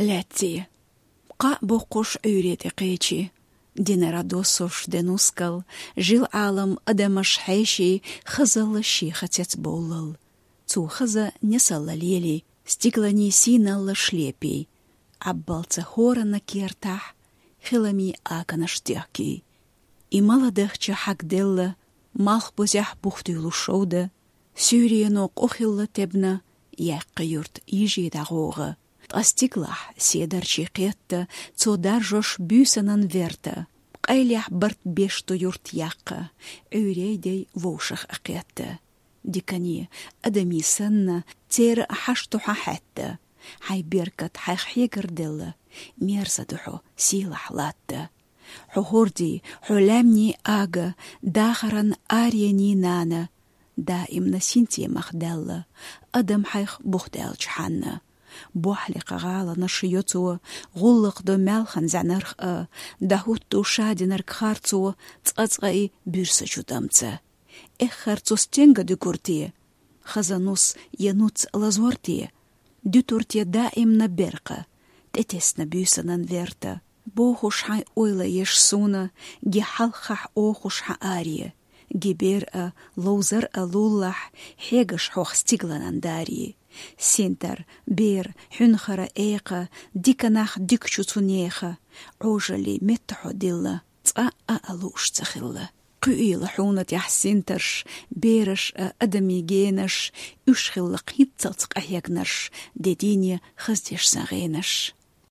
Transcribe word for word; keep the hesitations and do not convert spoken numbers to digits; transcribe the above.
лаьцций. Кхаъ боккхуш Ӏуьйре тӀе кхечи. Динара доссуш де нускал, жил Ӏалам адамаш хьеший, хазалла шеха цецбовллал. Цу хаза несалла лелий, стигланий сийналла шлепий. Ӏаббалца хӀорана кертахь, хиламий аканаш техкий. И мала дахча хьагделла, малх бузехь бухтуьйлу шовда, суьйрено къу хилла тебна, яьккха юрт йижий дӀагӀогӀа. Ткъа стиглахь седарчий кхетта, цо даржош буьйсанан верта, къайлехь барт беш ду юрт яккха, Ӏуьйрейдей вовшах а кхетта. Дикане, адамий санна, церан а хьашт ду хьан хьаьтта. Хьайн беркат хьайх хьегарделла, мерза ду хьо сийлахь латта. Хьо хӀордий, хьо лаьмний ага, дахаран аренийн нана, даимна синтемах даьлла, адам хьайх бухдаьлча хьанна. Бохьлекха гӀаланаш йо цо, гӀуллакх до маьлхан зӀанарх а, дӀахӀутту шадинарг харцо, цкъа-цкъа и буьрса чу дамца. Эххар цо стенга дуьгур те? Хаза нус я нуц лазор те? Дуьтур те даимна беркъа, тӀетесна буьйсанан верта. Бохуш хьайн ойла еш суна, ги хьалххахь охуш хьан аре, ги бер а, ловзар а луллахь, хьегаш хьох стигланан даре. Синтар, бер, хьуьнхара экха, дика нах дика чу цу неха, Ӏожаллий метта хьо дилла, цкъа а а лууш ца хилла. Кхуьийла хьуна тӀехь синтарш, бераш а, адамий генаш, уьш хилла кхин цалц къахьегнарш, де дийне хаздеш сан гӀенаш.